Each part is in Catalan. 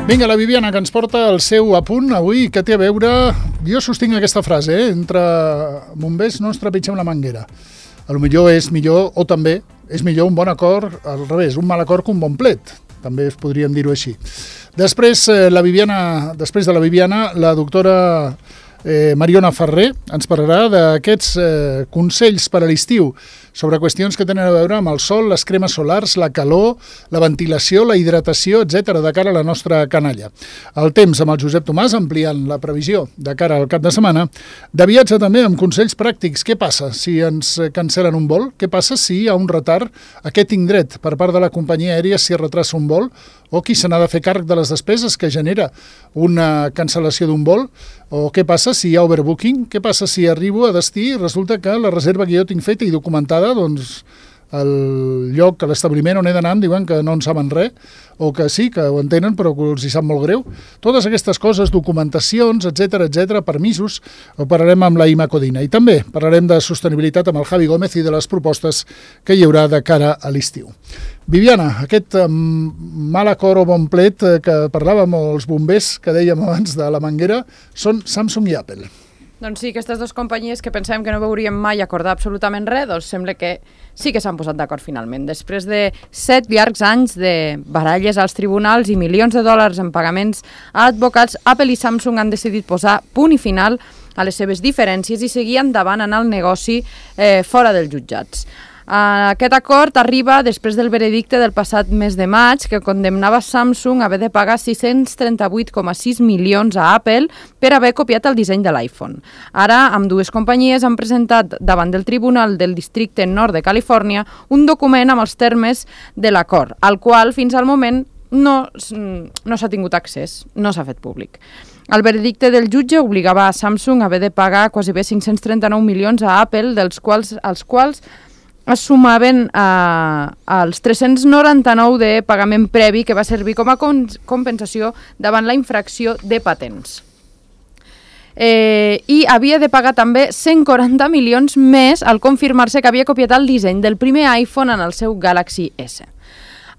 Vinga, la Viviana, que ens porta el seu apunt avui, que té a veure... Jo sostinc aquesta frase, entre bombers no ens trepitgem la manguera. A lo millor és millor, o també és millor un bon acord, al revés, un mal acord que un bon plet. També podríem dir-ho així. Després de la Viviana, la doctora Mariona Ferrer ens parlarà d'aquests consells per a l'estiu sobre qüestions que tenen a veure amb el sol, les cremes solars, la calor, la ventilació, la hidratació, etc., de cara a la nostra canalla. El temps amb el Josep Tomàs, ampliant la previsió de cara al cap de setmana. De viatge també amb consells pràctics. Què passa si ens cancel·len un vol? Què passa si hi ha un retard a aquest indret per part de la companyia aèria si es retrassa un vol? O qui se n'ha de fer càrrec de les despeses que genera una cancel·lació d'un vol? O què passa si hi ha overbooking? Què passa si arribo a destí i resulta que la reserva que jo tinc feta i documentada, doncs el lloc, a l'establiment on he d'anar em diuen que no en saben res, o que sí, que ho entenen però que els hi sap molt greu. Totes aquestes coses, documentacions, etc., permisos, ho parlarem amb la Ima Codina. I també parlarem de sostenibilitat amb el Javi Gómez i de les propostes que hi haurà de cara a l'estiu. Viviana, aquest mal acord o bon plet que parlàvem els bombers, que dèiem abans de la manguera, són Samsung i Apple. Doncs sí, aquestes dues companyies que pensàvem que no veuríem mai acordar absolutament res, doncs sembla que sí que s'han posat d'acord finalment. Després de 7 llargs anys de baralles als tribunals i milions de dòlars en pagaments a advocats, Apple i Samsung han decidit posar punt i final a les seves diferències i seguir endavant en el negoci fora dels jutjats. Aquest acord arriba després del veredicte del passat mes de maig que condemnava Samsung a haver de pagar 638,6 milions a Apple per haver copiat el disseny de l'iPhone. Ara, ambdues companyies han presentat davant del Tribunal del Districte Nord de Califòrnia un document amb els termes de l'acord, al qual fins al moment no s'ha tingut accés, no s'ha fet públic. El veredicte del jutge obligava a Samsung a haver de pagar quasi bé 539 milions a Apple, els quals es sumaven als 399 de pagament previ que va servir com a compensació davant la infracció de patents. I havia de pagar també 140 milions més al confirmar-se que havia copiat el disseny del primer iPhone en el seu Galaxy S.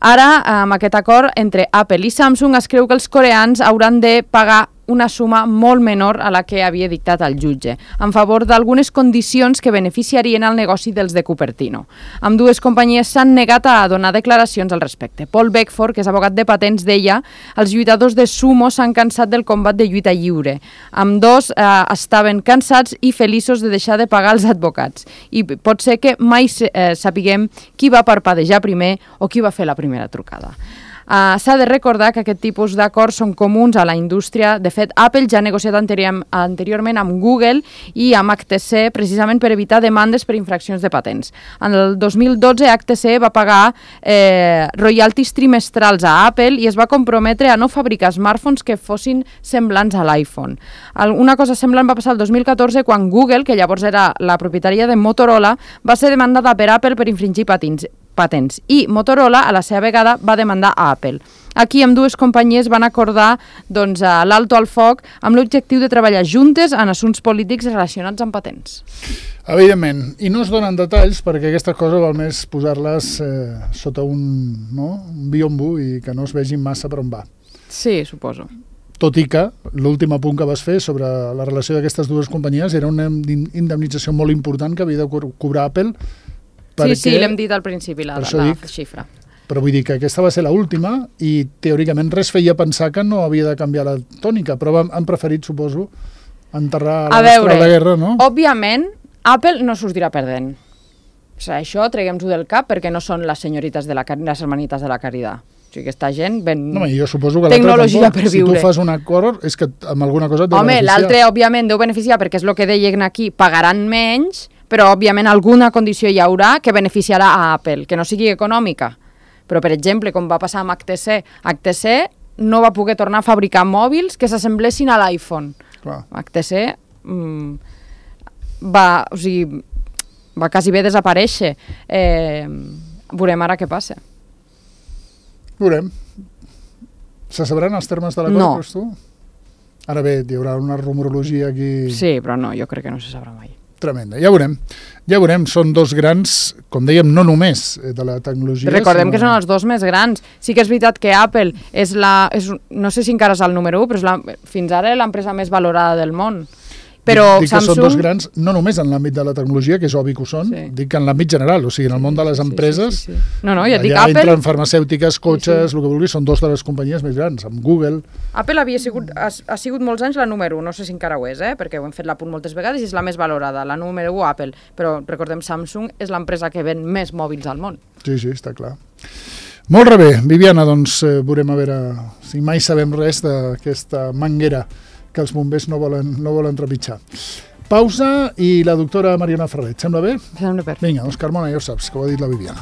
Ara, amb aquest acord entre Apple i Samsung, es creu que els coreans hauran de pagar una suma molt menor a la que havia dictat el jutge, en favor d'algunes condicions que beneficiarien el negoci dels de Cupertino. Ambdues companyies s'han negat a donar declaracions al respecte. Paul Beckford, que és abogat de patents, deia: els lluitadors de sumo s'han cansat del combat de lluita lliure. Ambdós estaven cansats i feliços de deixar de pagar els advocats. I pot ser que mai sapiguem qui va parpadejar primer o qui va fer la primera trucada. S'ha de recordar que aquest tipus d'acords són comuns a la indústria. De fet, Apple ja ha negociat anteriorment amb Google i amb HTC precisament per evitar demandes per infraccions de patents. En el 2012, HTC va pagar royalties trimestrals a Apple i es va comprometre a no fabricar smartphones que fossin semblants a l'iPhone. Una cosa semblant va passar el 2014 quan Google, que llavors era la propietària de Motorola, va ser demandada per Apple per infringir patents i Motorola a la seva vegada va demandar a Apple. Aquí ambdues companyies van acordar l'alto al foc amb l'objectiu de treballar juntes en assumptes polítics relacionats amb patents. Evidentment, i no es donen detalls perquè aquestes coses val més posar-les sota un biombo i que no es vegin massa per on va. Sí, suposo. Tot i que l'últim apunt que vas fer sobre la relació d'aquestes dues companyies era una indemnització molt important que havia de cobrar Apple. Sí, l'hem dit al principi, la xifra. Però vull dir que aquesta va ser l'última i teòricament res feia pensar que no havia de canviar la tònica, però han preferit, suposo, enterrar la guerra, no? Òbviament, Apple no sortirà perdent. O sigui, això traguem-ho del cap perquè no són les senyorites les hermanites de la Caridad. O sigui, aquesta gent ven jo suposo que tecnologia per viure. Si tu fas un acord, és que amb alguna cosa et deu beneficiar. L'altre, òbviament, deu beneficiar perquè és el que deien aquí, pagaran menys, però, òbviament, alguna condició hi haurà que beneficiarà a Apple, que no sigui econòmica. Però, per exemple, com va passar amb HTC no va poder tornar a fabricar mòbils que s'assemblessin a l'iPhone. HTC va quasi bé desaparèixer. Veurem ara què passa. Veurem. Se sabran els termes de l'acord, creus tu? Ara bé, hi haurà una rumorologia aquí... Sí, però no, jo crec que no se sabrà mai. tremenda. Ja veurem, són dos grans, com dèiem, no només de la tecnologia. Recordem que són els dos més grans. Sí que és veritat que Apple no sé si encara és el número 1, però és fins ara l'empresa més valorada del món. Però dic que són dos grans, no només en l'àmbit de la tecnologia, que és obvi que ho són, dic que en l'àmbit general, o sigui, en el món de les empreses, No, ja dic, allà Apple... entren farmacèutiques, cotxes, el que vulguis, són dos de les companyies més grans, amb Google. Apple ha sigut molts anys la número 1, no sé si encara ho és, perquè ho hem fet l'apunt moltes vegades i és la més valorada, la número 1 Apple, però recordem, Samsung és l'empresa que ven més mòbils al món. Sí, està clar. Molt bé, Viviana, doncs veurem a veure si mai sabem res d'aquesta manguera que els bombers no volen trepitjar. Pausa i la doctora Mariona Ferrer. Et sembla bé? Sembla bé. Vinga, doncs Carmona, ja ho saps, que ho ha dit la Viviana.